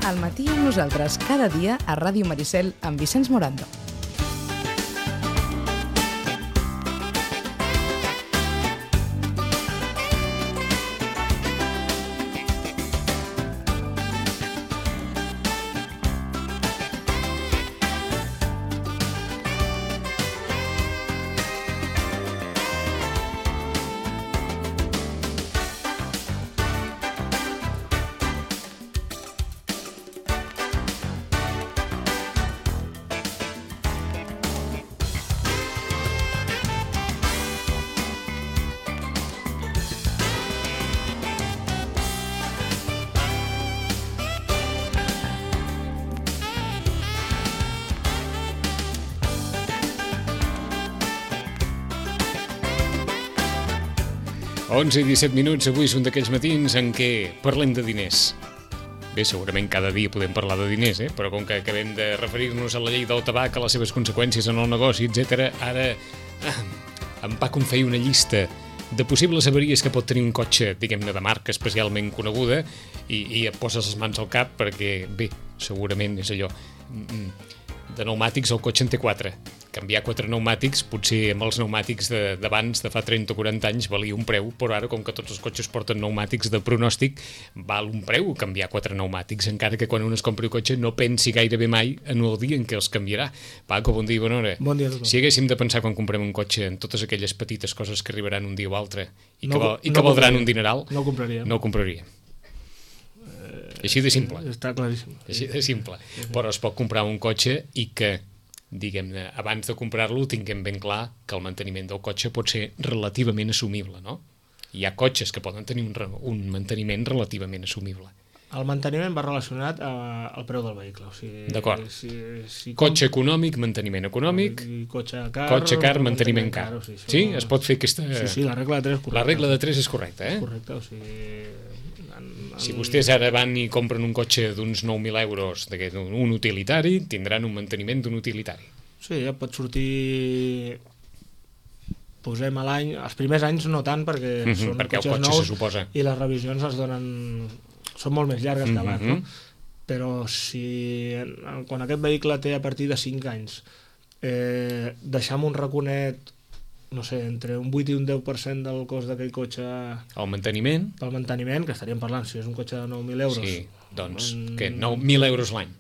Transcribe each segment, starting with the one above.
Al matí amb nosaltres cada dia a Ràdio Maricel amb Vicenç Morando. Onze i 17 minuts, avui és un d'aquells matins en què parlem de diners. Bé, segurament cada dia podem parlar de diners, però com que acabem de referir-nos a la llei del tabac, a les seves conseqüències en el negoci, etc., ara en Paco em feia una llista de possibles avaries que pot tenir un cotxe, diguem-ne, de marca especialment coneguda, i et poses les mans al cap perquè, bé, segurament és allò. De pneumàtics el cotxe en té 4. Canviar 4 pneumàtics, potser amb els pneumàtics d'abans, de fa 30 o 40 anys, valia un preu, però ara, com que tots els cotxes porten pneumàtics de pronòstic, val un preu canviar 4 pneumàtics, encara que quan un es compri un cotxe no pensi gairebé mai en el dia en què els canviarà. Paco, bon dia i bona hora. Bon dia a tothom. Si haguéssim de pensar quan comprem un cotxe en totes aquelles petites coses que arribaran un dia o altre i que valdran un dineral, no ho compraria. No ho compraria. Així de simple. Està claríssim. Així de simple. Però es pot comprar un cotxe i que, diguem-ne, abans de comprar-lo tinguem ben clar que el manteniment del cotxe pot ser relativament assumible, no? Hi ha cotxes que poden tenir un manteniment relativament assumible. El manteniment va relacionat al preu del vehicle. O sigui, d'acord. Cotxe econòmic, manteniment econòmic. Cotxe car, manteniment car. Sí? Es pot fer aquesta... Sí, la regla de 3 és correcta. La regla de 3 és correcta, És correcta, o sigui... Si vostès ara van i compren un cotxe d'uns 9.000 euros, un utilitari, tindran un manteniment d'un utilitari. Sí, ja pot sortir... Posem a l'any... Els primers anys no tant, perquè són cotxes nous i les revisions es donen... Són molt més llargues que abans, no? Però si quan aquest vehicle té a partir de 5 anys deixar un raconet, no sé, entre un 8 i un 10% del cost d'aquell cotxe... El manteniment? Pel manteniment, que estaríem parlant, si és un cotxe de 9.000 euros... Sí, doncs, que 9.000 euros l'any.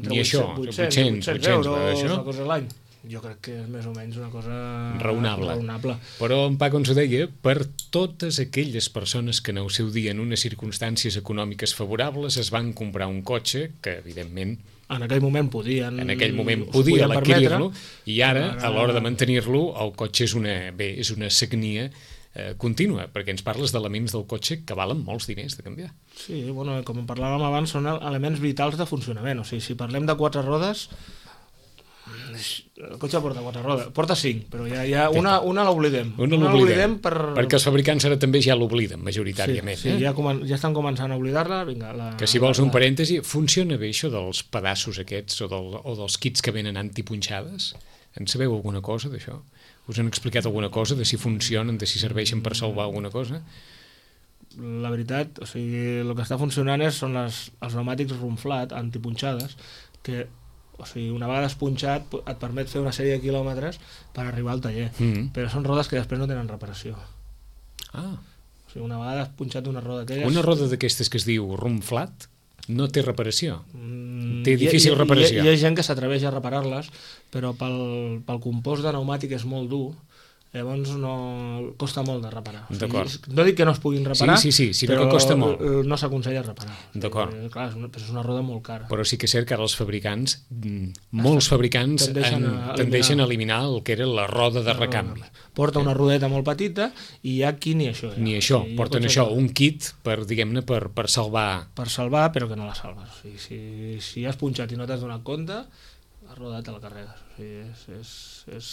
Ni això, 800 euros, una cosa a l'any. Jo crec que és més o menys una cosa raonable. Però en Paco ens ho deia, per totes aquelles persones que en el seu dia, en unes circumstàncies econòmiques favorables, es van comprar un cotxe que, evidentment... En aquell moment podien adquirir-lo, i ara, a l'hora de mantenir-lo, el cotxe és una sagnia contínua, perquè ens parles d'elements del cotxe que valen molts diners de canviar. Sí, bueno, com parlàvem abans, són elements vitals de funcionament. O sigui, si parlem de 4 rodes, el cotxe porta 4 rodes, porta 5, però ja una l'oblidem. Una l'oblidem perquè els fabricants ara també ja l'obliden, majoritàriament. Sí, ja estan començant a oblidar-la. Que si vols un parèntesi, funciona bé això dels pedaços aquests o dels kits que venen antipunxades? En sabeu alguna cosa d'això? Us han explicat alguna cosa de si funcionen, de si serveixen per salvar alguna cosa? La veritat, o sigui, el que està funcionant són els pneumàtics rumflat, antipunxades, que... O sigui, una vegada espunxat et permet fer una sèrie de quilòmetres per arribar al taller, però són rodes que després no tenen reparació. O sigui, una vegada espunxat una roda d'aquelles... Una roda d'aquestes que es diu rumflat no té reparació? Té difícil reparació? Hi ha gent que s'atreveix a reparar-les, però pel compost de pneumàtic és molt dur, llavors costa molt de reparar. No dic que no es puguin reparar, sinó que costa molt. No s'aconsella reparar. D'acord. Clar, és una roda molt cara. Però sí que és cert que ara els fabricants, molts fabricants tendeixen a eliminar el que era la roda de recanvi. Porta una rodeta molt petita i hi ha qui ni això. Ni això, porten això, un kit per, diguem-ne, per salvar. Per salvar, però que no la salves. O sigui, si has punxat i no t'has donat compte, la roda te la carregues. O sigui, és...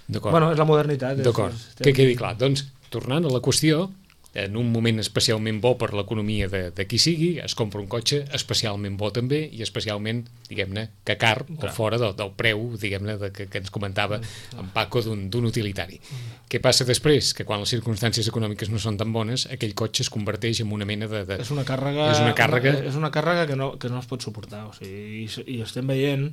D'acord. Bueno, és la modernitat. D'acord, que quedi clar. Doncs, tornant a la qüestió, en un moment especialment bo per l'economia de qui sigui, es compra un cotxe especialment bo també, i especialment, diguem-ne, que car, o fora del preu, diguem-ne, que ens comentava en Paco, d'un utilitari. Què passa després? Que quan les circumstàncies econòmiques no són tan bones, aquell cotxe es converteix en una mena de... És una càrrega que no es pot suportar, o sigui, i estem veient,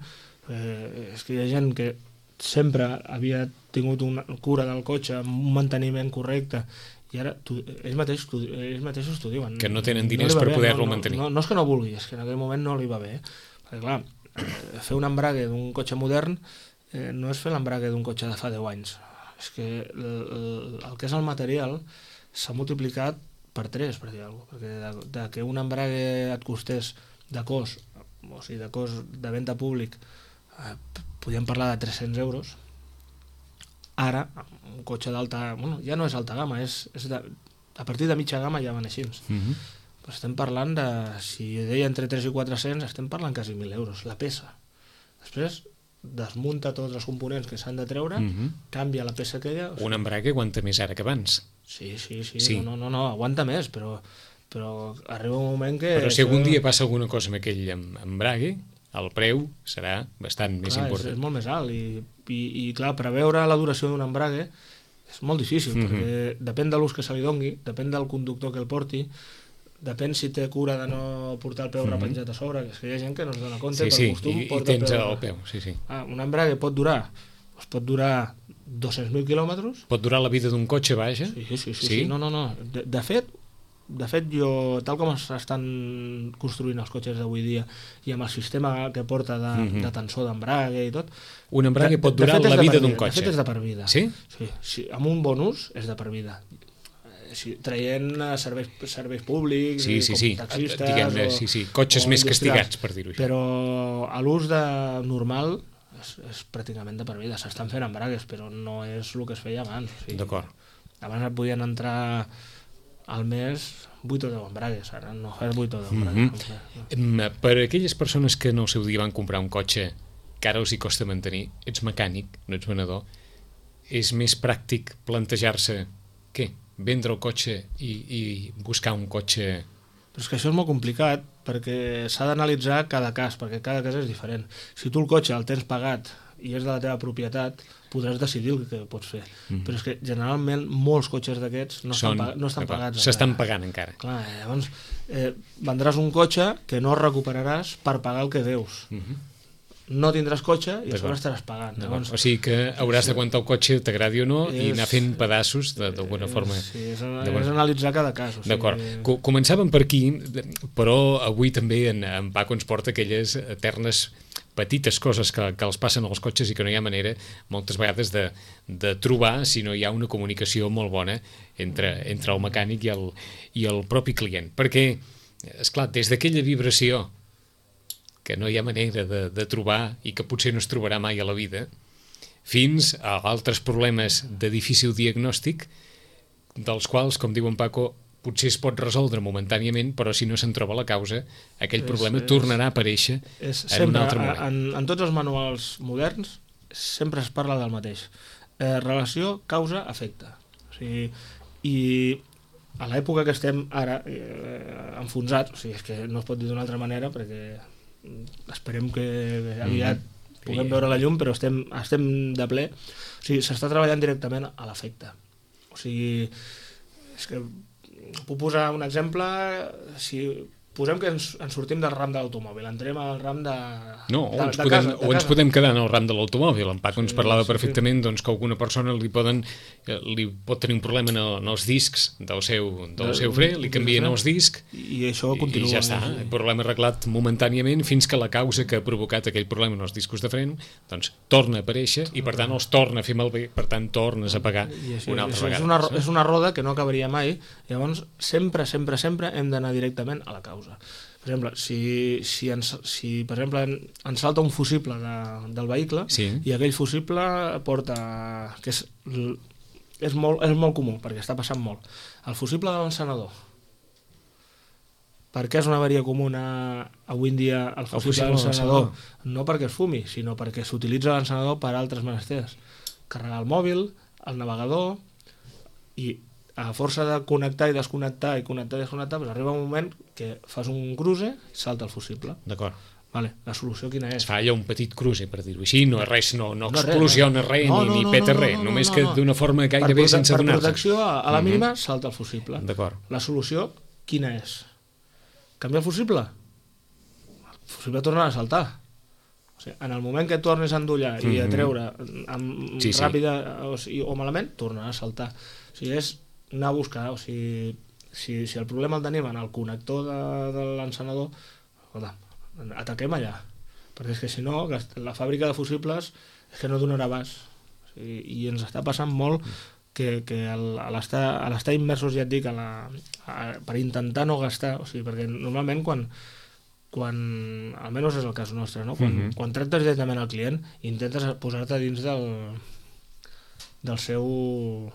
és que hi ha gent que sempre havia tingut una cura del cotxe, un manteniment correcte, i ara ells mateixos t'ho diuen. Que no tenen diners per poder-lo mantenir. No és que no vulgui, és que en aquell moment no li va bé. Perquè clar, fer un embrague d'un cotxe modern no és fer l'embrague d'un cotxe de fa 10 anys. És que el que és el material s'ha multiplicat per 3, per dir alguna cosa. Perquè de que un embrague et costés de cost, o sigui, de cost de venda públic, podíem parlar de 300 euros, ara, un cotxe d'alta... Bueno, ja no és alta gamma, a partir de mitja gamma ja van així. Però estem parlant de... Si deia entre 3 i 400, estem parlant quasi 1.000 euros, la peça. Després desmunta tots els components que s'han de treure, canvia la peça aquella... Un embrague aguanta més ara que abans. Sí. No, aguanta més, però arriba un moment que... Però si algun dia passa alguna cosa amb aquell embrague, el preu serà bastant més important. És molt més alt i clar, preveure la duració d'un embrague és molt difícil, perquè depèn de l'ús que se li dongui, depèn del conductor que el porti, depèn si té cura de no portar el peu repenjat a sobre, que és que hi ha gent que no es dona compte, per costum porta el peu. Un embrague pot durar 200.000 quilòmetres. Pot durar la vida d'un cotxe, vaja? Sí. No. De fet, jo, tal com s'estan construint els cotxes d'avui dia i amb el sistema que porta de tensor d'embrague i tot... Un embrague pot durar la vida d'un cotxe? De fet, és de per vida. Sí? Sí, amb un bon ús és de per vida. Traient serveis públics, com taxistes... Diguem-ne, cotxes més castigats, per dir-ho així. Però a l'ús normal és pràcticament de per vida. S'estan fent embragues, però no és el que es feia abans. D'acord. Abans et podien entrar... al mes 8 o 10 embragues, ara no fas 8 o 10 embragues. Per a aquelles persones que no al seu dia van comprar un cotxe que ara els hi costa mantenir, ets mecànic, no ets venedor, és més pràctic plantejar-se vendre el cotxe i buscar un cotxe... Però és que això és molt complicat perquè s'ha d'analitzar cada cas, perquè cada cas és diferent. Si tu el cotxe el tens pagat i és de la teva propietat, podràs decidir el que pots fer. Però és que generalment molts cotxes d'aquests no estan pagats. S'estan pagant encara. Clar, llavors vendràs un cotxe que no recuperaràs per pagar el que deus. No tindràs cotxe i a sobre estaràs pagant. Llavors, o sigui que hauràs d'aguantar el cotxe, t'agradi o no, i anar fent pedaços d'alguna forma. Sí, és analitzar cada cas. D'acord. Començàvem per aquí, però avui també en Paco ens porta aquelles eternes petites coses que els passen als cotxes i que no hi ha manera moltes vegades de trobar si no hi ha una comunicació molt bona entre el mecànic i el propi client. Perquè, esclar, des d'aquella vibració que no hi ha manera de trobar i que potser no es trobarà mai a la vida, fins a altres problemes de difícil diagnòstic, dels quals, com diu en Paco, potser es pot resoldre momentàniament, però si no se'n troba la causa, aquell problema tornarà a aparèixer en un altre moment. En tots els manuals moderns sempre es parla del mateix. Relació causa-efecte. O sigui, i a l'època que estem ara enfonsats, o sigui, és que no es pot dir d'una altra manera, perquè esperem que aviat puguem veure la llum, però estem de ple. O sigui, s'està treballant directament a l'efecte. O sigui, és que puc posar un exemple. Si posem que ens sortim del ram de l'automòbil, entrem al ram de casa. Ens podem quedar en el ram de l'automòbil. En Paco ens parlava perfectament que alguna persona li pot tenir un problema en els discs del seu fre, li canvien els discs i això continua. I ja està, el problema arreglat momentàniament fins que la causa que ha provocat aquell problema en els discos de fren torna a aparèixer i per tant els torna a fer malbé, per tant tornes a pagar una altra vegada. És una roda que no acabaria mai. Llavors sempre hem d'anar directament a la causa. Per exemple, si per exemple ens salta un fusible del vehicle i aquell fusible porta, que és molt comú perquè està passant molt, el fusible de l'encenedor. Per què és una avaria comuna avui en dia el fusible de l'encenedor? No perquè es fumi, sinó perquè s'utilitza l'encenedor per altres menesters. Carregar el mòbil, el navegador, i a força de connectar i desconnectar i connectar i desconnectar, doncs arriba un moment que fas un cruce i salta el fusible. D'acord. Vale, la solució quina és? Es fa allò un petit cruce, per dir-ho així, no és res, no explosiona res, ni peta res, només que d'una forma gairebé sense donar-se. Per protecció, a la mínima, salta el fusible. D'acord. La solució quina és? Canviar el fusible? El fusible tornarà a saltar. O sigui, en el moment que tornes a endollar i a treure ràpida o malament, tornarà a saltar. O sigui, és anar a buscar, o sigui, si el problema el tenim en el connector de l'encenedor, escolta, ataquem allà, perquè és que si no la fàbrica de fusibles és que no donarà abast, o sigui, i ens està passant molt que a l'estar immersos, ja et dic, per intentar no gastar, o sigui, perquè normalment quan almenys és el cas nostre, no? Quan tractes directament al client intentes posar-te dins del seu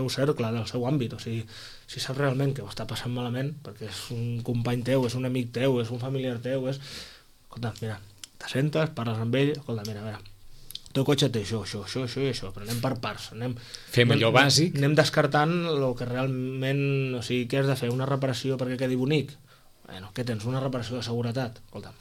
cercle, del seu àmbit, o sigui, si saps realment que ho està passant malament perquè és un company teu, és un amic teu, és un familiar teu, escolta, mira, t'assentes, parles amb ell, escolta, mira, a veure, el teu cotxe té això, però anem per parts, fem allò bàsic, anem descartant el que realment, o sigui, què has de fer, una reparació perquè quedi bonic? Bueno, què tens, una reparació de seguretat? Escolta,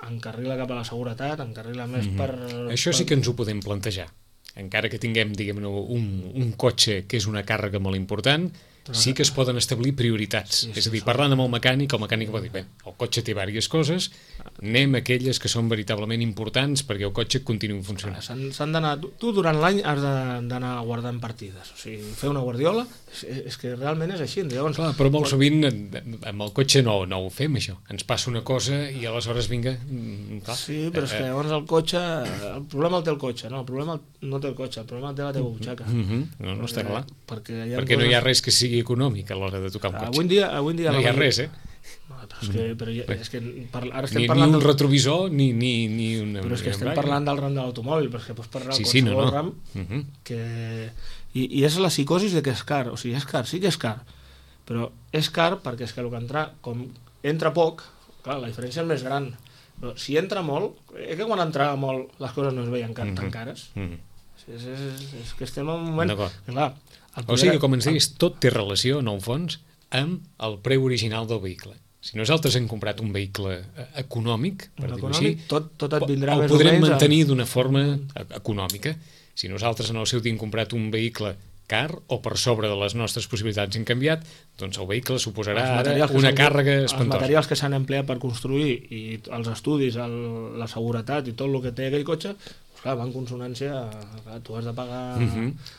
encarrila cap a la seguretat, encarrila més per... Això sí que ens ho podem plantejar. Encara que tinguem, diguem-ne, un cotxe que és una càrrega molt important, sí que es poden establir prioritats. És a dir, parlant amb el mecànic pot dir, bé, el cotxe té diverses coses, anem a aquelles que són veritablement importants perquè el cotxe continuï funcionant. S'han d'anar... Tu durant l'any has d'anar guardant partides. O sigui, fer una guardiola és que realment és així. Llavors, clar, però molt sovint amb el cotxe no ho fem, això. Ens passa una cosa i aleshores vinga... Clar, sí, però és que llavors el cotxe... El problema el té el cotxe, no? El problema no té el cotxe, el problema el té la teva butxaca. No està clar. Perquè no hi ha res que sigui econòmic a l'hora de tocar un cotxe. Avui en dia no hi ha res, però és que ara estem parlant... Ni un retrovisor, ni una... Però és que estem parlant del ram de l'automòbil, però és que pots parlar de qualsevol ram que... I és la psicosi de que és car, o sigui, és car, sí que és car, però és car perquè és que el que com entra poc, clar, la diferència és més gran, però si entra molt, que quan entrava molt les coses no es veien tan cares. És que estem en un moment... Clar, o sigui, com ens deies, tot té relació, en el fons, amb el preu original del vehicle. Si nosaltres hem comprat un vehicle econòmic, per dir-ho així, tot et vindrà el podrem mantenir d'una forma econòmica. Si nosaltres en el seu dia hem comprat un vehicle car o per sobre de les nostres possibilitats hem canviat, doncs el vehicle suposarà ara una càrrega espantosa. Els materials que s'han empleat per construir i els estudis, la seguretat i tot el que té aquell cotxe, clar, va en consonància, tu has de pagar...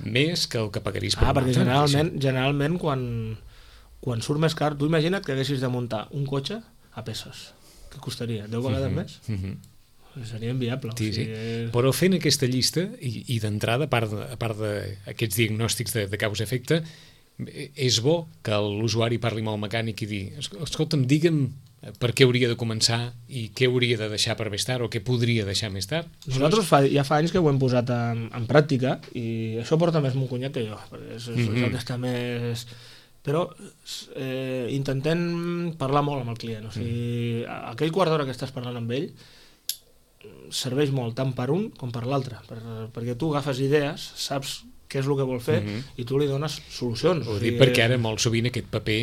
Més que el que pagaries per perquè generalment quan surt més car, tu imagina't que haguessis de muntar un cotxe a peces. Què costaria? 10 vegades més? Seria inviable. Sí. Però fent aquesta llista, i d'entrada, a part d'aquests diagnòstics de causa-efecte, és bo que l'usuari parli amb el mecànic i dir, escolta'm, digue'm per què hauria de començar i què hauria de deixar per més tard o què podria deixar més tard. Nosaltres ja fa anys que ho hem posat en pràctica i això porta més mon cunyat que jo, perquè és el que està més... Però intentem parlar molt amb el client, o sigui, aquell quart d'hora que estàs parlant amb ell serveix molt tant per un com per l'altre, perquè tu agafes idees, saps què és el que vol fer i tu li dones solucions. Ho dic perquè ara molt sovint aquest paper,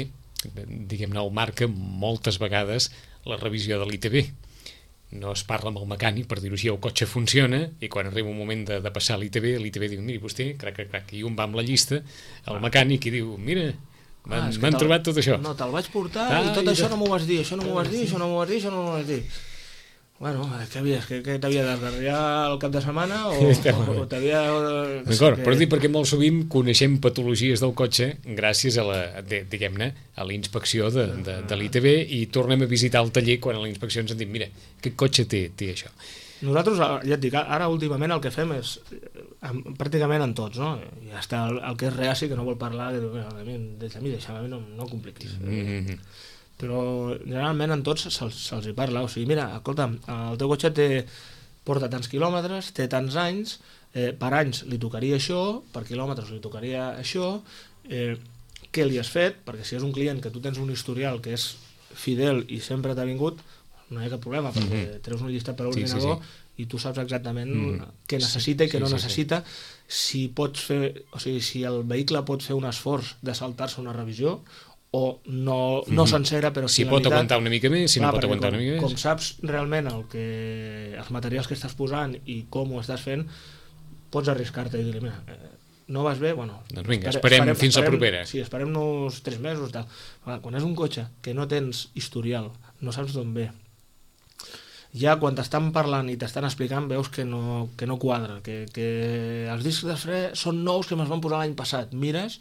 diguem-ne, el marca moltes vegades la revisió de l'ITV. No es parla amb el mecànic, per dir-ho així, el cotxe funciona i quan arriba un moment de passar l'ITV diu, miri vostè, crac, i un va amb la llista, el mecànic i diu, mira, m'han trobat tot això. No, te'l vaig portar i tot això no m'ho vas dir, això no m'ho vas dir, això no m'ho vas dir, això no m'ho vas dir. Bueno, què t'havia d'esgarriar el cap de setmana o t'havia... D'acord, però dic perquè molt sovint coneixem patologies del cotxe gràcies a la inspecció de l'ITV i tornem a visitar el taller quan a la inspecció ens han dit, mira, aquest cotxe té això. Nosaltres, ja et dic, ara últimament el que fem és, pràcticament en tots, no? I està el que és reaci, que no vol parlar, que diu, deixa'm, no compliquis. Però generalment en tots se'ls hi parla, o sigui, mira, escolta, el teu cotxe porta tants quilòmetres, té tants anys, per anys li tocaria això, per quilòmetres li tocaria això, què li has fet, perquè si és un client que tu tens un historial que és fidel i sempre t'ha vingut, no hi ha cap problema, perquè treus un llistat per l'ordinador i tu saps exactament què necessita i què no necessita. Si pots fer, o sigui, si el vehicle pot fer un esforç de saltar-se una revisió, o no sencera, però si pot aguantar una mica més, si no pot aguantar una mica més. Com saps realment els materials que estàs posant i com ho estàs fent, pots arriscar-te i dir-li, mira, no vas bé, bueno... Doncs vinga, esperem fins la propera. Sí, esperem-nos 3 mesos. Tal. Quan és un cotxe que no tens historial, no saps d'on ve, ja quan t'estan parlant i t'estan explicant veus que no quadra, que els discs de fre són nous que me'ls van posar l'any passat, mires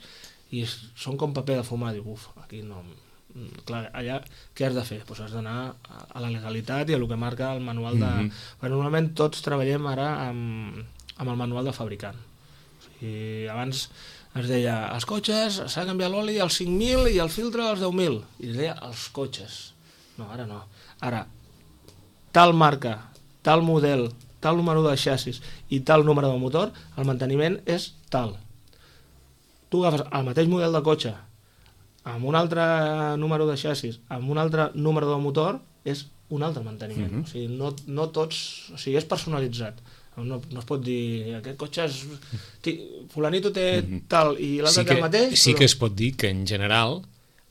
i són com paper de fumar, diu, aquí no... Clar, allà què has de fer? Pues has d'anar a la legalitat i a el que marca el manual de... Perquè normalment tots treballem ara amb el manual de fabricant. O sigui, abans es deia, els cotxes s'ha de canviar l'oli als 5.000 i el filtre als 10.000. I es deia, els cotxes. No, ara no. Ara, tal marca, tal model, tal número de xassis i tal número de motor, el manteniment és tal. Tu agafes el mateix model de cotxe amb un altre número de xassis, amb un altre número de motor, és un altre manteniment. O sigui, no tots... O sigui, és personalitzat. No es pot dir, aquest cotxe és... Fulanito té tal i l'altre té el mateix... Sí que es pot dir que, en general,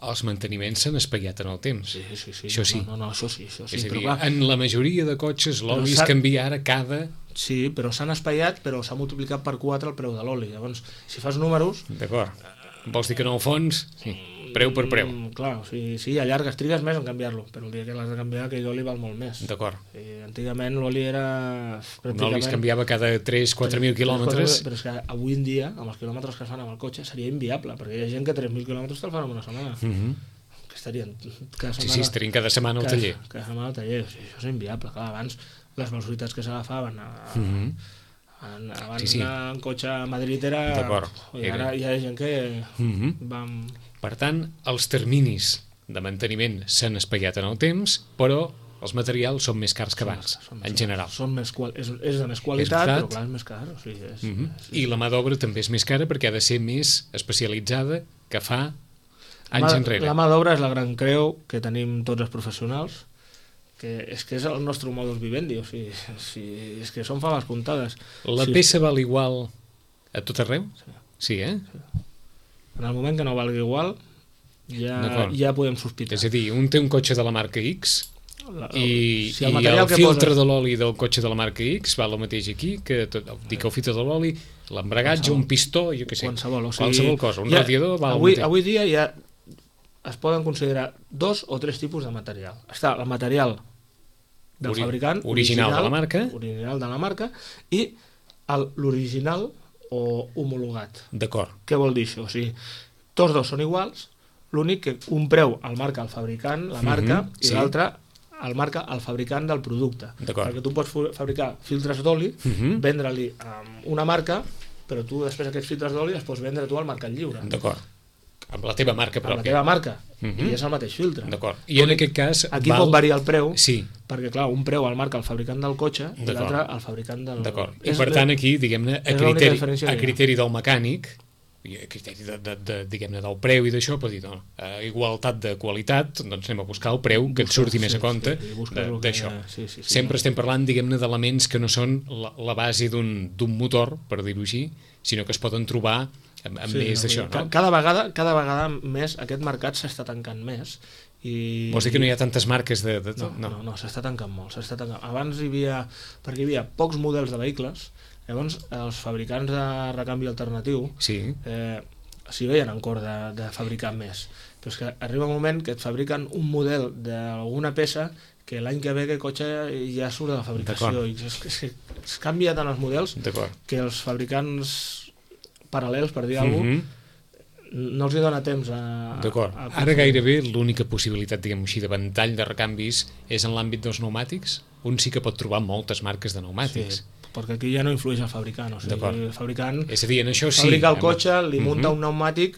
els manteniments s'han espaiat en el temps. Sí. Això sí. No, això sí. És a dir, en la majoria de cotxes l'oli es canvia ara cada... Sí, però s'han espaiat, però s'ha multiplicat per 4 el preu de l'oli. Llavors, si fas números... D'acord. Vols dir que en el fons, sí, preu per preu. Clar, sí, allargues, trigues més en canviar-lo, però el dia que l'has de canviar, aquell oli val molt més. D'acord. Antigament l'oli era... Un oli es canviava cada 3-4.000 quilòmetres. Però és que avui en dia, amb els quilòmetres que es fan amb el cotxe, seria inviable, perquè hi ha gent que 3.000 quilòmetres te'l fan en una setmana. Que estarien cada setmana... Sí, estarien cada setmana al taller. Cada setmana al taller, això és inviable. Clar, abans les velocitats que s'agafaven abans en cotxe a Madrid era... I ara hi ha gent que vam... Per tant, els terminis de manteniment s'han espaiat en el temps, però els materials són més cars que abans, en general. És de més qualitat, però clar, és més car. O sigui, I la mà d'obra també és més cara perquè ha de ser més especialitzada que fa anys enrere. La mà d'obra és la gran creu que tenim tots els professionals, que és el nostre modus vivendi, o sigui, és que són faves comptades. La peça val igual a tot arreu? Sí, eh? En el moment que no valgui igual, ja podem sospitar. És a dir, un té un cotxe de la marca X i el filtre de l'oli del cotxe de la marca X val el mateix aquí, que el filtre de l'oli, l'embragatge, un pistó, jo què sé, qualsevol cosa, un radiador val el mateix. Avui dia ja es poden considerar 2 o 3 tipus de material. Està el material del fabricant, original de la marca, i l'original o homologat. D'acord. Què vol dir això? O sigui, tots dos són iguals, l'únic que un preu el marca el fabricant, la marca, i l'altre el marca el fabricant del producte. Perquè tu pots fabricar filtres d'oli, vendre-li una marca, però tu després aquests filtres d'oli els pots vendre tu al mercat lliure. D'acord. Amb la teva marca pròpia. Amb la teva marca, i és el mateix filtre. D'acord. I en aquest cas... Aquí pot variar el preu, perquè clar, un preu el marca el fabricant del cotxe i l'altre el fabricant del... D'acord. I per tant aquí, diguem-ne, a criteri del mecànic, i a criteri diguem-ne, del preu i d'això, pot dir, a igualtat de qualitat, doncs anem a buscar el preu que et surti més a compte d'això. Sempre estem parlant, diguem-ne, d'elements que no són la base d'un motor, per dir-ho així, sinó que es poden trobar amb més d'això, no? Cada vegada més aquest mercat s'està tancant més. Vols dir que no hi ha tantes marques de tot? No, s'està tancant molt. Abans hi havia pocs models de vehicles, llavors els fabricants de recanvi alternatiu s'hi veien en cor de fabricar més. Però és que arriba un moment que et fabriquen un model d'alguna peça que l'any que ve aquest cotxe ja surt de la fabricació. És que es canvia tant els models que els fabricants paral·lels, per dir alguna cosa, no els hi dona temps a... D'acord. Ara gairebé l'única possibilitat, diguem-ho així, de ventall de recanvis és en l'àmbit dels pneumàtics. Un sí que pot trobar moltes marques de pneumàtics. Sí, perquè aquí ja no influeix el fabricant. O sigui, el fabricant fabrica el cotxe, li munta un pneumàtic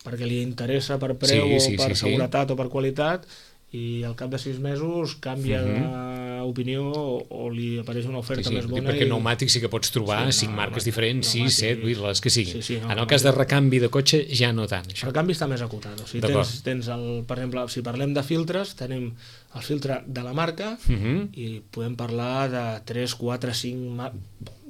perquè li interessa per preu o per seguretat o per qualitat, i al cap de 6 mesos canvia opinió o li apareix una oferta més bona. Perquè pneumàtics sí que pots trobar 5 marques diferents, 6, 7, 8, les que siguin. En el cas de recanvi de cotxe ja no tant. El recanvi està més acotat. O sigui, tens per exemple, si parlem de filtres, tenim el filtre de la marca i podem parlar de 3, 4, 5...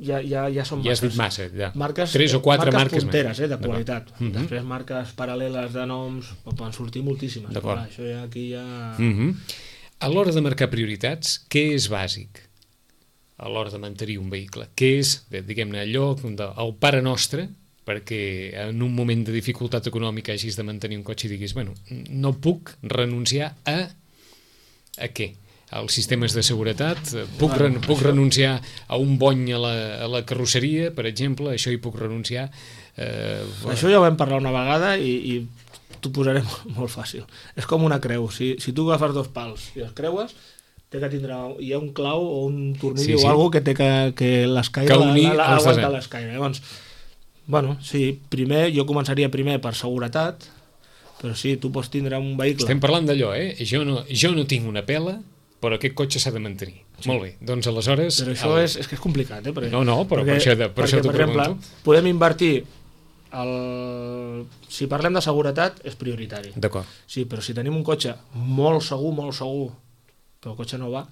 Ja són marques. Ja has dit massa, ja. 3 o 4 marques punteres, de qualitat. Després marques paral·leles de noms, poden sortir moltíssimes. Això ja aquí ja... A l'hora de marcar prioritats, què és bàsic a l'hora de mantenir un vehicle? Què és, diguem-ne, allò, el pare nostre, perquè en un moment de dificultat econòmica hagis de mantenir un cotxe i diguis, bueno, no puc renunciar a què? Als sistemes de seguretat? Puc renunciar a un bony a la carrosseria, per exemple? Això hi puc renunciar? Això ja ho vam parlar una vegada i t'ho posaré molt fàcil. És com una creu. Si tu agafes 2 pals i els creues, hi ha un clau o un tornill o alguna cosa que l'escaire aguanta l'escaire. Llavors, bueno, sí, jo començaria primer per seguretat, però sí, tu pots tindre un vehicle... Estem parlant d'allò, Jo no tinc una pela, però aquest cotxe s'ha de mantenir. Molt bé, doncs aleshores... Però això és que és complicat, Perquè, per això t'ho pregunto. Podem invertir... Si parlem de seguretat, és prioritari. D'acord. Sí, però si tenim un cotxe molt segur, però el cotxe no va,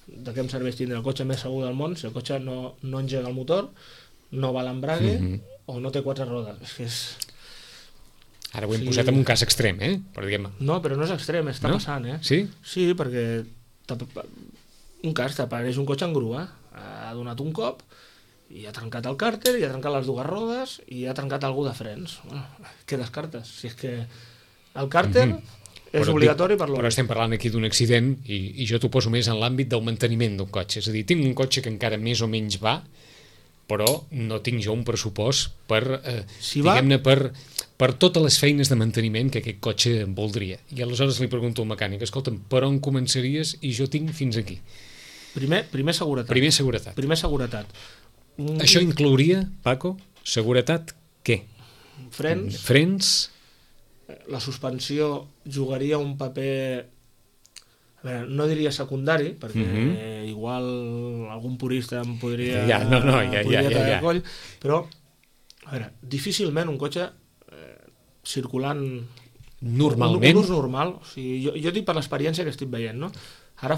de què em serveix tindre el cotxe més segur del món si el cotxe no engega el motor, no va l'embrague o no té 4 rodes? És que és... Ara ho hem posat en un cas extrem, No, però no és extrem, està passant, Sí? Sí, perquè un cas t'apareix un cotxe en grua, ha donat un cop i ha trencat el càrter, i ha trencat les 2 rodes i ha trencat algú de frens. Bueno, què descartes? Si és que el càrter és obligatori per l'hora. Però estem parlant aquí d'un accident i jo t'ho poso més en l'àmbit del manteniment d'un cotxe. És a dir, tinc un cotxe que encara més o menys va, però no tinc jo un pressupost per, diguem-ne, per totes les feines de manteniment que aquest cotxe voldria. I aleshores li pregunto al mecànic, escolta'm, per on començaries? I jo tinc fins aquí. Primer seguretat. Primer seguretat. Això inclouria, Paco, seguretat què? Frens. La suspensió jugaria un paper, a veure, no diria secundari, perquè igual algun purista em podria tallar coll, però a veure, difícilment un cotxe circulant normalment, un ús normal, o sigui, jo dic per l'experiència que estic veient, no? Ara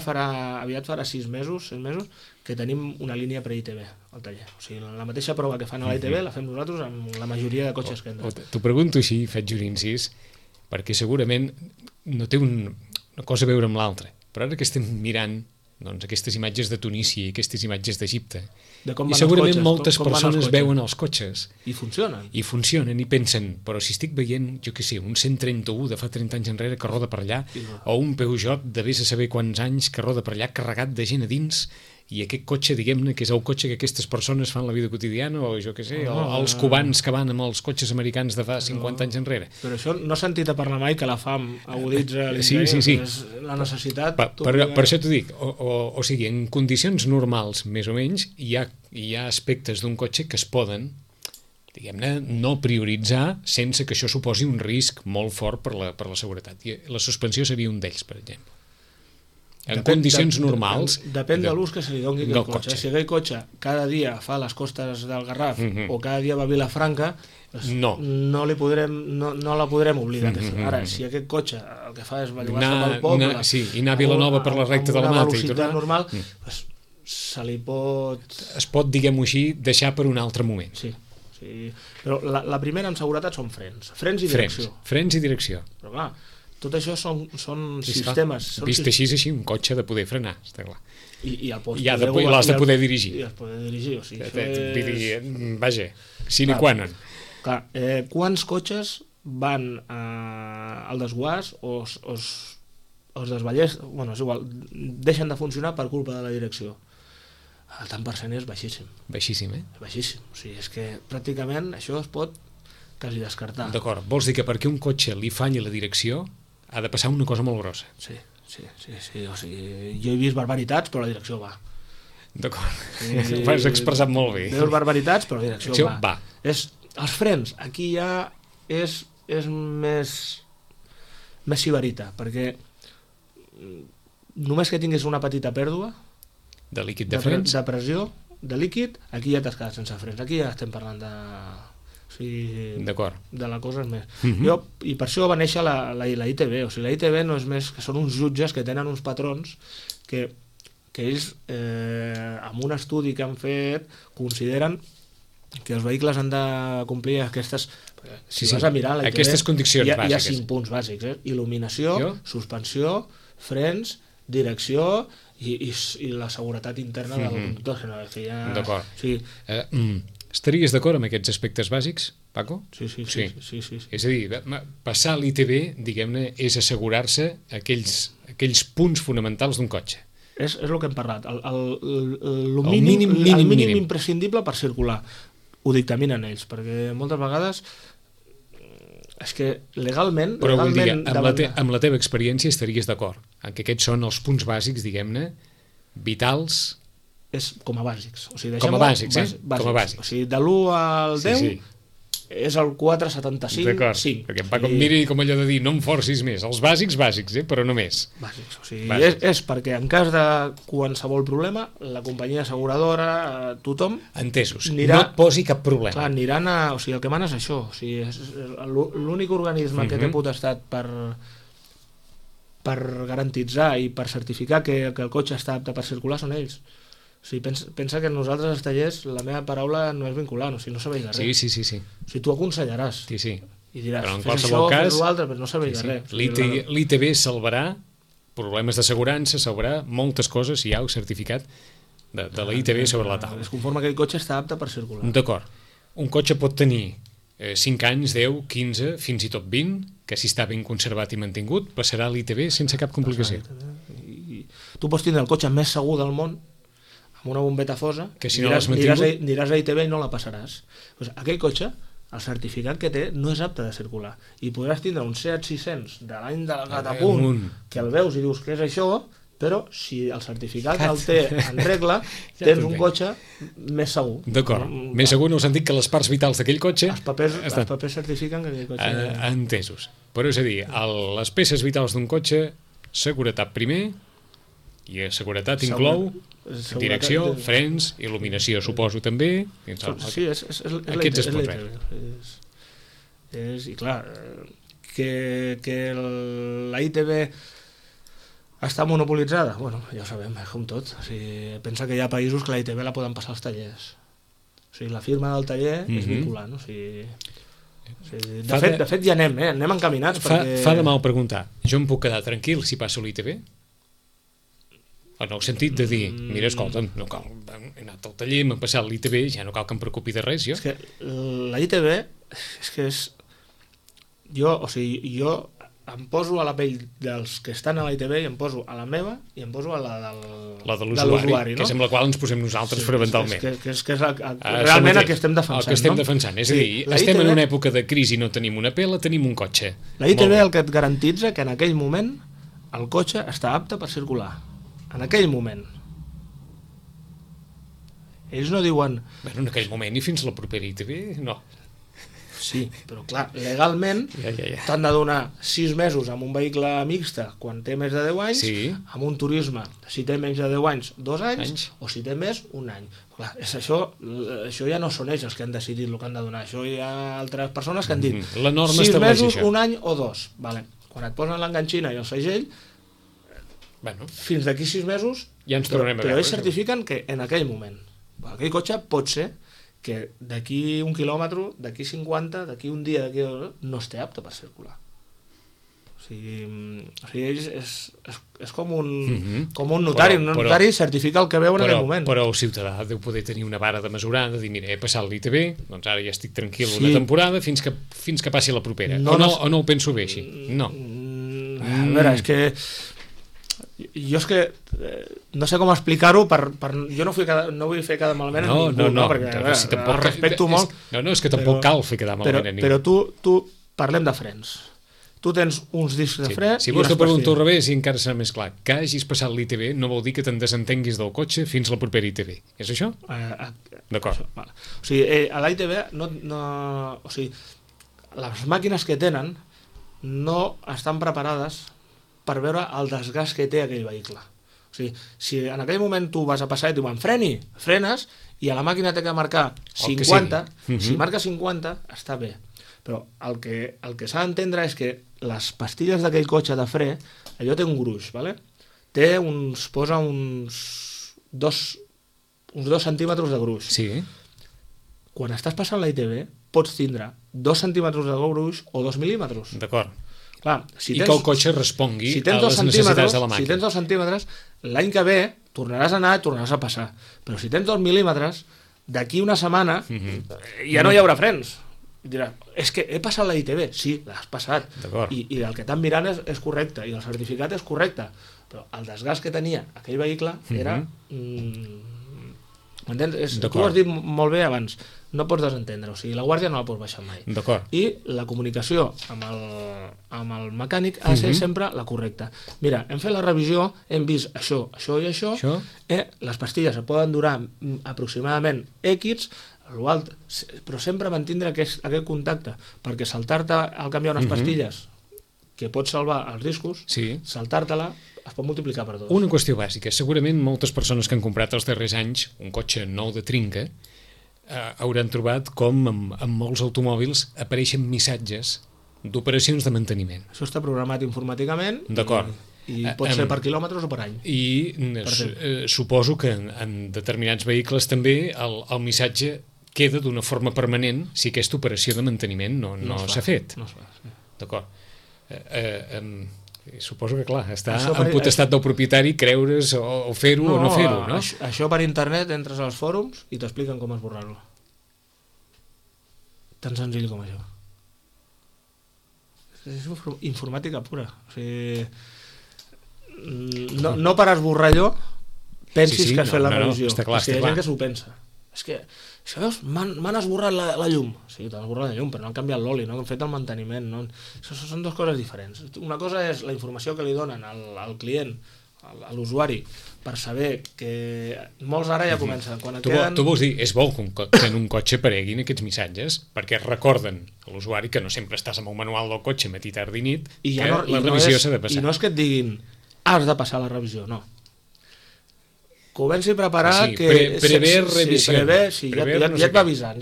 aviat farà 6 mesos que tenim una línia pre-ITV al taller. O sigui, la mateixa prova que fan a l'ITV la fem nosaltres amb la majoria de cotxes que entrem. T'ho pregunto així, faig un incís, perquè segurament no té una cosa a veure amb l'altra. Però ara que estem mirant aquestes imatges de Tunísia i aquestes imatges d'Egipte, i segurament moltes persones veuen els cotxes i funcionen i pensen, però si estic veient, jo què sé, un 131 de fa 30 anys enrere que roda per allà, o un Peugeot de vés a saber quants anys que roda per allà carregat de gent a dins, i aquest cotxe, diguem-ne, que és el cotxe que aquestes persones fan la vida quotidiana, o jo què sé, els cubans que van amb els cotxes americans de fa 50 anys enrere. Però això no he sentit a parlar mai que la fam aguditza l'interior, sí. La necessitat... Per això t'ho dic, o sigui, en condicions normals, més o menys, hi ha aspectes d'un cotxe que es poden, diguem-ne, no prioritzar sense que això suposi un risc molt fort per la seguretat. I la suspensió seria un d'ells, per exemple. En condicions normals... Depèn de l'ús que se li doni aquell cotxe. Si aquell cotxe cada dia fa les costes del Garraf o cada dia va a Vilafranca, no la podrem obligar. Ara, si aquest cotxe el que fa és bellugar-se pel poble i anar a Vilanova per la recta de la Mata i tot normal, se li pot... Es pot, diguem-ho així, deixar per un altre moment. Sí. Però la primera en seguretat són frens i direcció. Frens i direcció. Però clar, tot això són sistemes. Vist així, un cotxe de poder frenar, està clar. I l'has de poder dirigir. I el poder dirigir, o sigui, vaja, sine qua non. Clar, quants cotxes van al desguàs o es desballés, bueno, és igual, deixen de funcionar per culpa de la direcció? El tant per cent és baixíssim. Baixíssim, Baixíssim, o sigui, és que pràcticament això es pot quasi descartar. D'acord, vols dir que perquè un cotxe li falli la direcció ha de passar una cosa molt grossa. Sí, o sigui, jo he vist barbaritats, però la direcció va. D'acord, ho has expressat molt bé. Veus barbaritats, però la direcció va. Els frens, aquí ja és més sibarita, perquè només que tinguis una petita pèrdua de líquid de frens, de pressió, de líquid, aquí ja t'has quedat sense frens. Aquí ja estem parlant de... O sigui, de la cosa és més. I per això va néixer la ITB. O sigui, la ITB no és més que són uns jutges que tenen uns patrons que ells, amb un estudi que han fet, consideren que els vehicles han de complir aquestes... Si vas a mirar la ITB, aquestes condicions bàsiques. Hi ha 5 punts bàsics. Il·luminació, suspensió, frens, direcció i la seguretat interna del conductor. D'acord. Estaries d'acord amb aquests aspectes bàsics, Paco? Sí. És a dir, passar l'ITB, diguem-ne, és assegurar-se aquells punts fonamentals d'un cotxe. És el que hem parlat. El mínim imprescindible per circular. Ho dictaminen ells, perquè moltes vegades és que legalment... Però vull dir, amb la teva experiència estaries d'acord en que aquests són els punts bàsics, diguem-ne, vitals... És com a bàsics. O sigui, com a bàsics, Com a bàsics. O sigui, de l'1 al 10 és el 4,75. D'acord, perquè en Paco em miri com allò de dir no em forcis més, els bàsics, però no més. Bàsics, o sigui, és perquè en cas de qualsevol problema, la companyia asseguradora, tothom... Entesos, no et posi cap problema. Clar, aniran a... O sigui, el que mana és això. O sigui, és l'únic organisme que té potestat per garantitzar i per certificar que el cotxe està apte per circular són ells. O sigui, pensa que nosaltres als tallers la meva paraula no és vinculant, o sigui, no serveix de res. Sí. O sigui, tu aconsellaràs. Sí. I diràs, però en fes això, fes l'altre, però no serveix de res. L'ITB salvarà problemes d'assegurança, salvarà moltes coses, si hi ha el certificat de la ITB sobre la taula. Es conforma que el cotxe està apte per circular. D'acord. Un cotxe pot tenir 5 anys, 10, 15, fins i tot 20, que si està ben conservat i mantingut, passarà a l'ITB sense cap complicació. Tu pots tindre el cotxe més segur del món, amb una bombeta fosa, que si no aniràs a ITB i no la passaràs. Pues aquell cotxe, el certificat que té, no és apte de circular. I podràs tindre un Seat 600 de l'any de la Catapunt, que el veus i dius que és això, però si el certificat el té en regla, tens un cotxe més segur. D'acord, més segur en el sentit que les parts vitals d'aquell cotxe... Els papers certifiquen que aquell cotxe... Entesos. Però és a dir, les peces vitals d'un cotxe, seguretat primer, i seguretat inclou direcció, frens, il·luminació, suposo també. Sí, és aquests es pot veure. I clar, que la ITB està monopolitzada, bueno, ja ho sabem, com tot. O sigui, pensa que hi ha països que la ITB la poden passar als tallers. O sigui, la firma del taller és vinculant. O sigui, de fet ja anem encaminats. Fa de mal preguntar, jo em puc quedar tranquil si passo l'ITB? En el sentit de dir, mira, escolta'm, no cal, he anat al taller, m'he passat l'ITB, ja no cal que em preocupi de res, jo. És que la ITB, és que és... Jo em poso a la pell dels que estan a la ITB i em poso a la meva i em poso a la de l'usuari, no? Que és amb la qual ens posem nosaltres fonamentalment. Que és realment el que estem defensant. El que estem defensant, és a dir, estem en una època de crisi, no tenim una pela, tenim un cotxe. La ITB el que et garantitza que en aquell moment el cotxe està apte per circular. En aquell moment. Ells no diuen... Bueno, en aquell moment i fins la propera ITB, no. Sí, però clar, legalment t'han de donar 6 mesos amb un vehicle mixta quan té més de 10 anys, amb un turisme, si té menys de 10 anys, 2 anys, o si té més, 1 any. Clar, això ja no són ells els que han decidit el que han de donar, això hi ha altres persones que han dit 6 mesos, 1 any o 2. Vale. Quan et posen l'enganxina i el segell, fins d'aquí 6 mesos, ja ens tornem a veure. Però ells certifiquen que en aquell moment, aquell cotxe pot ser que d'aquí 1 quilòmetre, d'aquí 50, d'aquí un dia, no es té apte per circular. O sigui és com un notari. Un notari certifica el que veu en aquell moment. Però el ciutadà deu poder tenir una vara de mesurar, de dir, mira, he passat l'ITB, doncs ara ja estic tranquil una temporada fins que passi la propera. O no ho penso bé així? No. A veure, és que jo és que no sé com explicar-ho jo no vull fer quedar malament perquè si tampoc, respecto molt és que tampoc cal fer quedar malament a ningú, però tu parlem de frens, tu tens uns discs de fre si vols te pregunto al revés i encara serà més clar, que hagis passat l'ITB no vol dir que te'n desentenguis del cotxe fins la propera ITB, és això? D'acord. O sigui, a l'ITB o sigui, les màquines que tenen no estan preparades per veure el desgast que té aquell vehicle. O sigui, si en aquell moment tu vas a passar i et diuen frenes, i a la màquina té que marcar 50, si marca 50, està bé. Però el que s'ha d'entendre és que les pastilles d'aquell cotxe de fre, allò té un gruix, ¿vale? Posa uns 2 centímetres de gruix. Sí. Quan estàs passant la ITV, pots tindre 2 centímetres de gruix o 2 mil·límetres. D'acord. Clar, que el cotxe respongui a les necessitats de la màquina. Si tens 2 centímetres, l'any que ve tornaràs a anar i tornaràs a passar. Però si tens 2 mil·límetres, d'aquí una setmana ja no hi haurà frens. I diràs, és que he passat la ITV. Sí, l'has passat. I el que t'han mirant és correcte, i el certificat és correcte. Però el desgast que tenia aquell vehicle era... M'entens? Tu ho has dit molt bé abans. No pots desentendre, o sigui, la guàrdia no la pots baixar mai. I la comunicació amb el mecànic ha de ser sempre la correcta. Mira, hem fet la revisió, hem vist això i això, les pastilles es poden durar aproximadament X, però sempre mantindre aquest contacte, perquè saltar-te al canviar unes pastilles que pot salvar els riscos, saltar-te-la es pot multiplicar per 2. Una qüestió bàsica. Segurament moltes persones que han comprat els darrers anys un cotxe nou de trinca hauran trobat com en molts automòbils apareixen missatges d'operacions de manteniment. Això està programat informàticament i pot ser per quilòmetres o per any. I suposo que en determinats vehicles també el missatge queda d'una forma permanent si aquesta operació de manteniment no s'ha fet. No es fa, sí. D'acord. Suposo que, clar, està en potestat del propietari creure's o fer-ho o no fer-ho, no? Això per internet, entres als fòrums i t'expliquen com esborrar-lo. Tan senzill com això. És informàtica pura. O sigui, no per esborrar allò pensis que has fet la revisió. Està clar, hi ha gent que s'ho pensa. És que, veus, m'han esborrat la llum. Sí, t'han esborrat la llum, però no han canviat l'oli, no han fet el manteniment. Són dues coses diferents. Una cosa és la informació que li donen al client, a l'usuari, per saber que molts ara ja comencen. Tu vols dir, és bo que en un cotxe apareguin aquests missatges, perquè recorden a l'usuari que no sempre estàs amb el manual del cotxe matí, tard i nit, que la revisió s'ha de passar. I no és que et diguin, has de passar la revisió, no. Comenci a preparar prever revisió. Ja et va avisant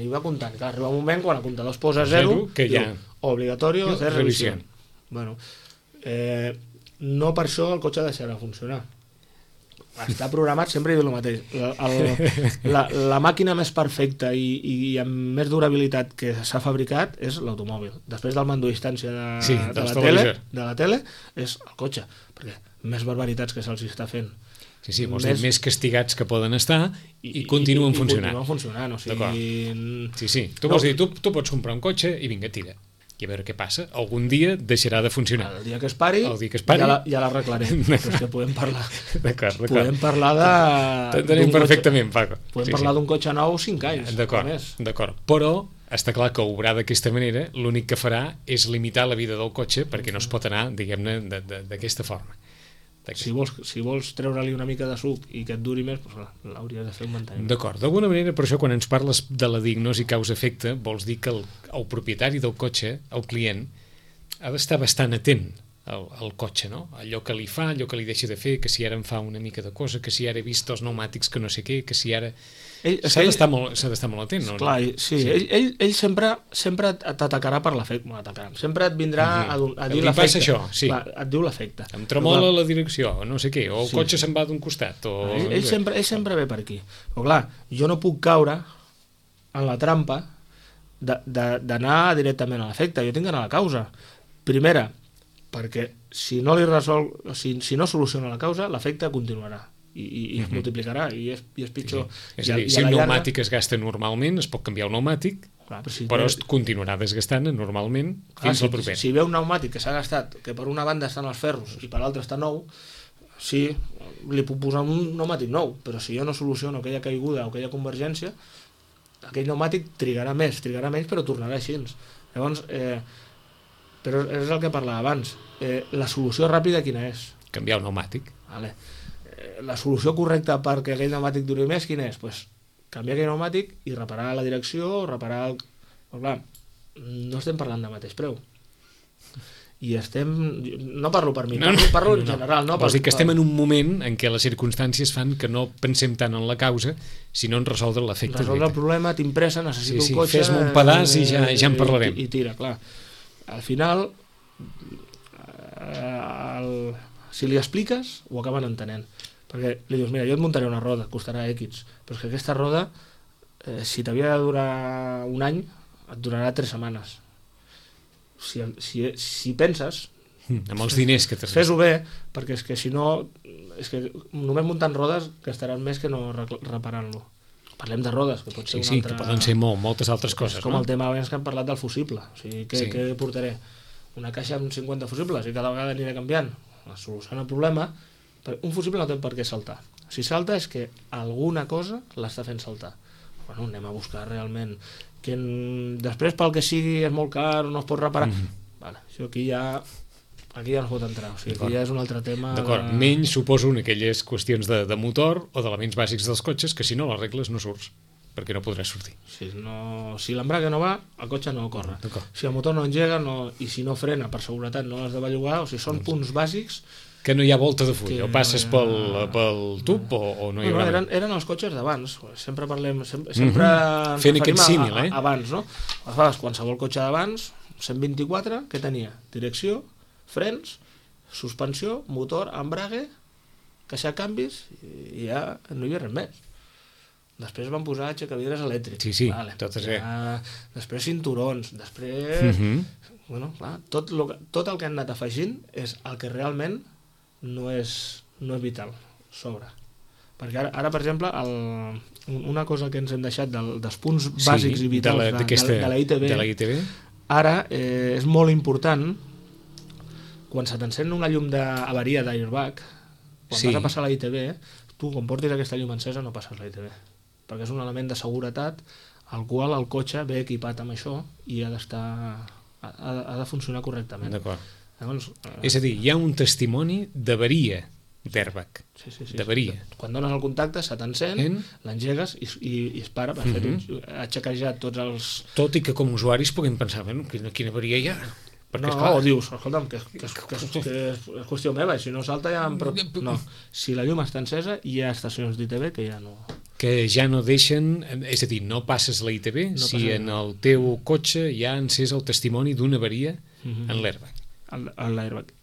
i va comptant. Clar, arriba un moment quan el comptador es posa 0 que ja obligatori fer revisió. Bueno, no per això el cotxe deixarà de funcionar. Està programat, sempre he dit el mateix. La màquina més perfecta i amb més durabilitat que s'ha fabricat és l'automòbil. Després del mando a distància de la tele és el cotxe, perquè més barbaritats que se'ls està fent. Sí, vols dir més castigats que poden estar i continuen funcionant. I continuen funcionant, o sigui... Sí. Tu vols dir, tu pots comprar un cotxe i vinga, tira. I a veure què passa. Algun dia deixarà de funcionar. El dia que es pari, ja l'arreglarem. Però és que podem parlar... D'acord. Podem parlar de... T'entenem perfectament, Paco. Podem parlar d'un cotxe nou 5 anys. D'acord. Però està clar que obrar d'aquesta manera l'únic que farà és limitar la vida del cotxe perquè no es pot anar, diguem-ne, d'aquesta forma. Si vols treure-li una mica de suc i que et duri més, doncs l'hauries de fer un manteniment. D'acord, d'alguna manera, per això quan ens parles de la diagnosi causa-efecte, vols dir que el propietari del cotxe, el client, ha d'estar bastant atent al cotxe, no? Allò que li fa, allò que li deixa de fer, que si ara em fa una mica de cosa, que si ara he vist els pneumàtics que no sé què, que si ara... S'ha d'estar molt atent, no? Clar, sí. Ell sempre t'atacarà per l'efecte. Sempre et vindrà a dir l'efecte. Passa això, sí. Clar, et diu l'efecte. Em tremola la direcció, no sé què, o el cotxe se'n va d'un costat. Ell sempre ve per aquí. Però clar, jo no puc caure en la trampa d'anar directament a l'efecte. Jo tinc d'anar a la causa. Primera, perquè si no no soluciona la causa, l'efecte continuarà i es multiplicarà i és pitjor. És a dir, si un pneumàtic es gasta normalment, es pot canviar el pneumàtic, però es continuarà desgastant normalment fins al proper. Si ve un pneumàtic que s'ha gastat, que per una banda estan els ferros i per l'altra està nou, sí, li puc posar un pneumàtic nou, però si jo no soluciono aquella caiguda o aquella convergència, aquell pneumàtic trigarà menys, però tornarà així. Llavors, però és el que parlava abans, la solució ràpida quina és? Canviar el pneumàtic. Vale. La solució correcta perquè aquell pneumàtic duri més quina és? Pues canviar aquell pneumàtic i reparar la direcció, reparar el... Però clar, no estem parlant de mateix preu. i estem... No parlo per mi, parlo en general. Vols dir que estem en un moment en què les circumstàncies fan que no pensem tant en la causa, sinó en resoldre l'efecte. Resoldre el problema, tinc pressa, necessito un cotxe... Fes-me un pedaç i ja en parlarem. I tira, clar. Al final, si li expliques, ho acaben entenent. Perquè li dius, mira, jo et muntaré una roda, costarà X, però és que aquesta roda, si t'havia de durar un any, et durarà 3 setmanes. Si penses amb els diners que t'has fes-ho bé, perquè és que si no només muntant rodes gastaran més que no reparant-lo. Parlem de rodes, que pot ser una altra... que poden ser moltes altres coses, com el tema abans que hem parlat del fusible, o sigui, què portaré? Una caixa amb 50 fusibles i cada vegada aniré canviant, soluciona el problema. Un fusible no té per què saltar, si salta és que alguna cosa l'està fent saltar. Bueno, anem a buscar realment que després pel que sigui és molt car, no es pot reparar. Vale, això aquí ja no es pot entrar, o sigui, aquí ja és un altre tema. D'acord, menys suposo en aquelles qüestions de motor o d'elements bàsics dels cotxes que si no les regles no surts, perquè no podràs sortir. Si l'embrague no va, el cotxe no corre. Si el motor no engega i si no frena per seguretat no l'has de bellugar, o sigui, són punts bàsics que no hi ha volta de full, o passes pel tub o no hi haurà. Eren els cotxes d'abans, sempre parlem, sempre fent aquest símil, abans, no? Aleshores, qualsevol cotxe d'abans, 124, què tenia? Direcció, frens, suspensió, motor, embrague, caixa de canvis, i ja no hi havia res més. Després van posar aixecavidres elèctrics. Sí, tot és bé. Després cinturons, després... Bueno, clar, tot el que han anat afegint és el que realment no és vital, sobre. Perquè ara per exemple, una cosa que ens hem deixat dels punts bàsics i vitals de la ITV, ara és molt important, quan se t'encén una llum d'avaria d'airbag, quan vas a passar la ITV, tu quan portis aquesta llum encesa no passes la ITV, perquè és un element de seguretat al qual el cotxe ve equipat amb això i ha de funcionar correctament. D'acord. Llavors, és a dir, hi ha un testimoni d'avaria d'airbag. Sí. D'avaria. Quan dones el contacte, se t'encén, l'engegues i es para. Ha xequejat tots els... Tot i que com a usuaris puguem pensar, quina avaria hi ha? O dius, escolta'm, que és qüestió meva, i si no salta ja... No, si la llum està encesa, hi ha estacions d'ITV que ja no... Que ja no deixen... És a dir, no passes la ITV si en el teu cotxe ja ha encès el testimoni d'una avaria en l'airbag.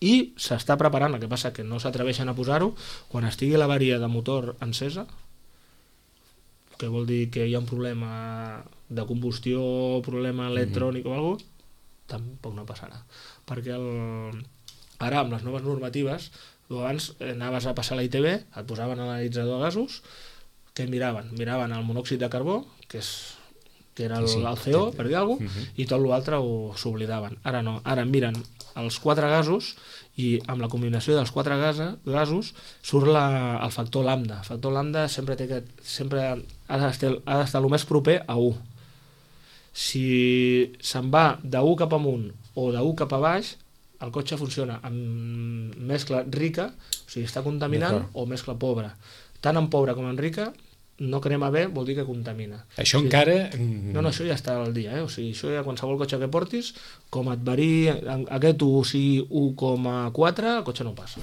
I s'està preparant, el que passa que no s'atreveixen a posar-ho, quan estigui l'avaria de motor encesa, que vol dir que hi ha un problema de combustió, problema electrònic o alguna cosa, tampoc no passarà, perquè ara amb les noves normatives tu abans anaves a passar la ITV, et posaven l'analitzador de gasos, que miraven el monòxid de carbó, que era el CO, per dir alguna cosa, i tot l'altre s'oblidaven. Ara no, ara miren els 4 gasos i amb la combinació dels 4 gasos surt el factor lambda. El factor lambda sempre ha d'estar el més proper a 1. Si se'n va de 1 cap amunt o de 1 cap a baix, el cotxe funciona amb mescla rica, o sigui, està contaminant, o mescla pobra. Tant en pobra com en rica, no crema bé, vol dir que contamina. Això encara... No, això ja està al dia, o sigui, això ja qualsevol cotxe que portis, com et varii aquest 1 sigui 1,4, el cotxe no passa.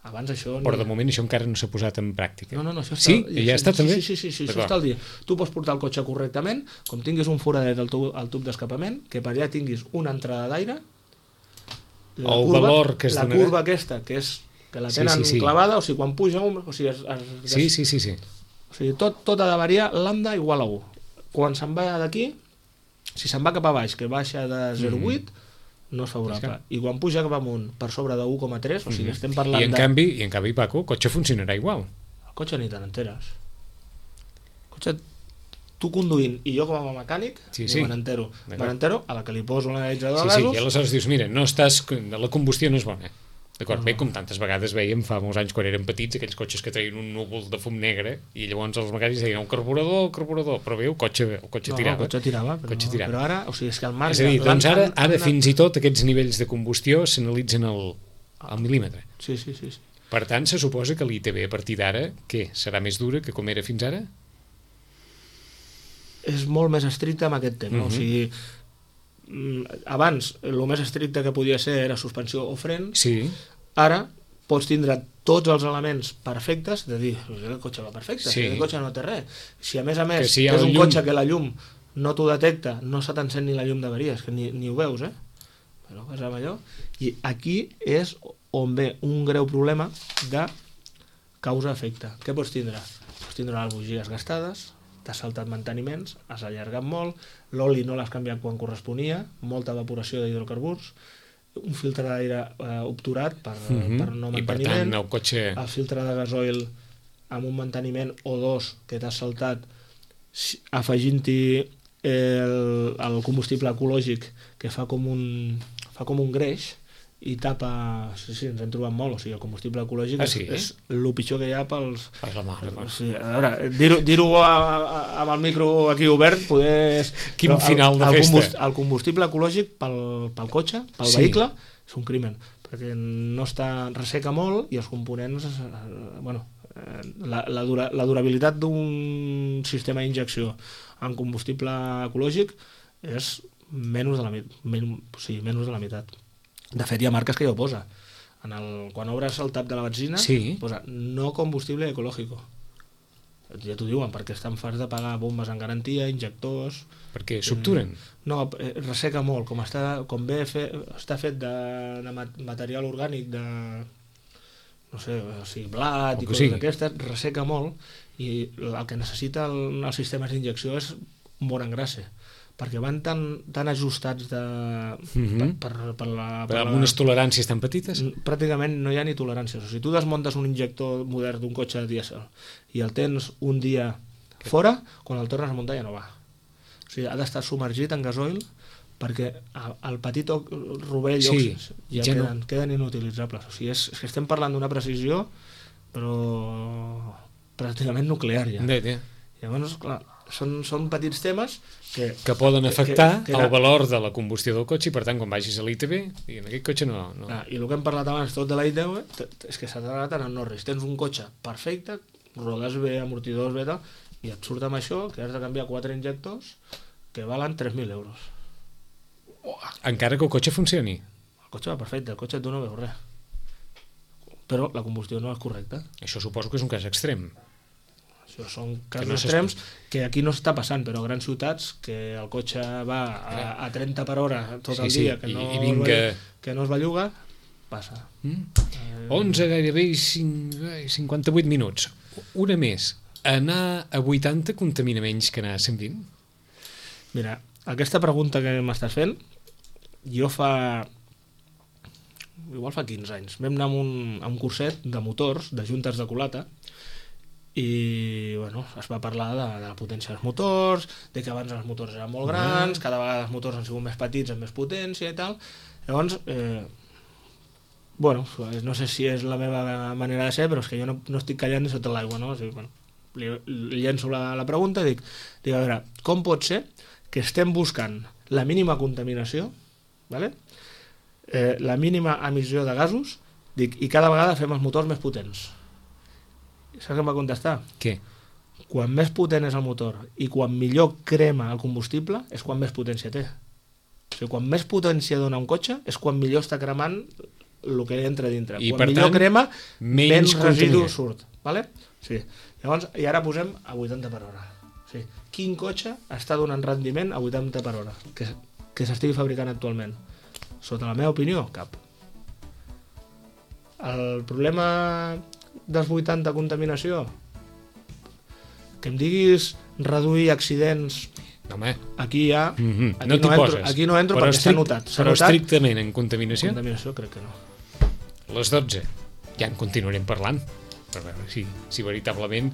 Abans això... Però de moment això encara no s'ha posat en pràctica. No, això està... Sí? Ja està també? Sí, això està al dia. Tu pots portar el cotxe correctament, com tinguis un foradet al tub d'escapament, que per allà tinguis una entrada d'aire, la curva aquesta, que la tenen clavada, o sigui, quan puja un... Sí. O sigui, tot ha de variar lambda igual a 1. Quan se'n va d'aquí, si se'n va cap a baix, que baixa de 0,8, no és favorable. I quan puja cap amunt per sobre de 1,3, o sigui, estem parlant I en canvi, Paco, el cotxe funcionarà igual. El cotxe ni te n'enteres. El cotxe, tu conduint i jo com a mecànic, me n'entero. Me n'entero a la que li poso l'analitzador de gasos. I aleshores dius, mira, la combustió no és bona. D'acord, bé, com tantes vegades veiem fa molts anys quan érem petits, aquells cotxes que traien un núvol de fum negre i llavors els mecànics deien el carburador, però bé, el cotxe tirava. El cotxe tirava, però ara, o sigui, és que el marc... És a dir, doncs ara fins i tot aquests nivells de combustió s'analitzen al mil·límetre. Sí. Per tant, se suposa que l'ITV a partir d'ara, què, serà més dura que com era fins ara? És molt més estricte amb aquest tema, o sigui... abans el més estricte que podia ser era suspensió o fren, ara pots tindre tots els elements perfectes de dir, el cotxe va perfecte, el cotxe no té res. Si a més és un cotxe que la llum no t'ho detecta, no se t'encén ni la llum d'avaries, que ni ho veus, però és amb allò. I aquí és on ve un greu problema de causa-efecte. Què pots tindre? Pots tindre les bugies gastades, t'has saltat manteniments, has allargat molt, l'oli no l'has canviat quan corresponia, molta evaporació d'hidrocarburs, un filtre d'aire obturat per no manteniment, i per tant el cotxe... el filtre de gasoil amb un manteniment o dos que t'has saltat, afegint-hi el combustible ecològic que fa com un greix i tapa... Sí, ens hem trobat molt, o sigui, el combustible ecològic és el pitjor que hi ha pels... A veure, dir-ho amb el micro aquí obert, poder... Quin final de festa! El combustible ecològic pel cotxe, pel vehicle, és un crimen, perquè no resseca molt i els components... La durabilitat d'un sistema d'injecció en combustible ecològic és menys de la meitat. De fet, hi ha marques que ja ho posa. Quan obres el tap de la benzina, posa no combustible ecológico. Ja t'ho diuen, perquè estan farts de pagar bombes en garantia, injectors... Perquè s'obturen? No, resseca molt. Com està fet de material orgànic, de... no sé, o sigui, blat i coses d'aquestes, resseca molt, i el que necessita els sistemes d'injecció és un bon engrase, perquè van tan ajustats amb unes toleràncies tan petites? Pràcticament no hi ha ni toleràncies. O sigui, tu desmuntes un injector modern d'un cotxe dièsel i el tens un dia fora, quan el tornes a muntar ja no va. O sigui, ha d'estar submergit en gasoil perquè el petit rovell ja queden inutilitzables. O sigui, és que estem parlant d'una precisió però pràcticament nuclear ja. Llavors, clar, són petits temes que poden afectar el valor de la combustió del cotxe i per tant quan vagis a l'ITV i en aquest cotxe no... I el que hem parlat abans tot de la ITV és que s'ha d'anar en el no-res. Tens un cotxe perfecte, rodes bé, amortidors bé, i et surt amb això que has de canviar 4 injectors que valen 3.000 euros. Encara que el cotxe funcioni? El cotxe va perfecte, el cotxe tu no veus res, però la combustió no és correcta. Això suposo que és un cas extrem. Això són casos extrems que aquí no està passant, però a grans ciutats que el cotxe va a 30 per hora tot el dia, que no es belluga, passa. 11, gairebé 58 minuts. Una més. Anar a 80 contamina menys que anar a 120? Mira, aquesta pregunta que m'estàs fent, jo igual fa 15 anys, vam anar a un curset de motors, de juntes de culata, i es va parlar de la potència dels motors, de que abans els motors eren molt grans, cada vegada els motors han sigut més petits amb més potència i tal. Llavors no sé si és la meva manera de ser, però és que jo no estic callant ni sota l'aigua, no? O sigui, li llenço la pregunta i dic, a veure, com pot ser que estem buscant la mínima contaminació, la mínima emissió de gasos, i cada vegada fem els motors més potents? Saps què em va contestar? Què? Quan més potent és el motor i quan millor crema el combustible és quan més potència té. O sigui, quan més potència dona un cotxe és quan millor està cremant el que entra dintre. I quan millor crema, menys residu surt. Vale? Sí. Llavors, i ara posem a 80 per hora. O sigui, quin cotxe està donant rendiment a 80 per hora que s'estigui fabricant actualment? Sota la meva opinió, cap. El problema dels 80 contaminació, que em diguis reduir accidents, aquí ja aquí no entro perquè s'ha notat. Però estrictament en contaminació? Contaminació crec que no. Les 12 ja en continuarem parlant per veure si veritablement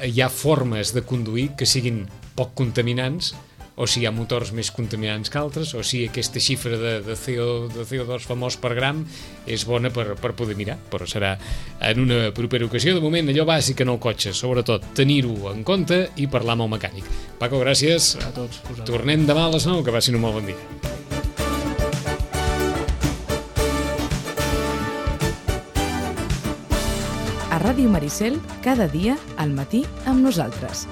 hi ha formes de conduir que siguin poc contaminants o si hi ha motors més contaminants que altres, o si aquesta xifra de CO2 famós per gram és bona per poder mirar, però serà en una propera ocasió. De moment, allò bàsic en el cotxe, sobretot tenir-ho en compte i parlar amb el mecànic. Paco, gràcies. A tots. Tornem demà a les 9, que passin un molt bon dia. A Ràdio Maricel, cada dia al matí amb nosaltres.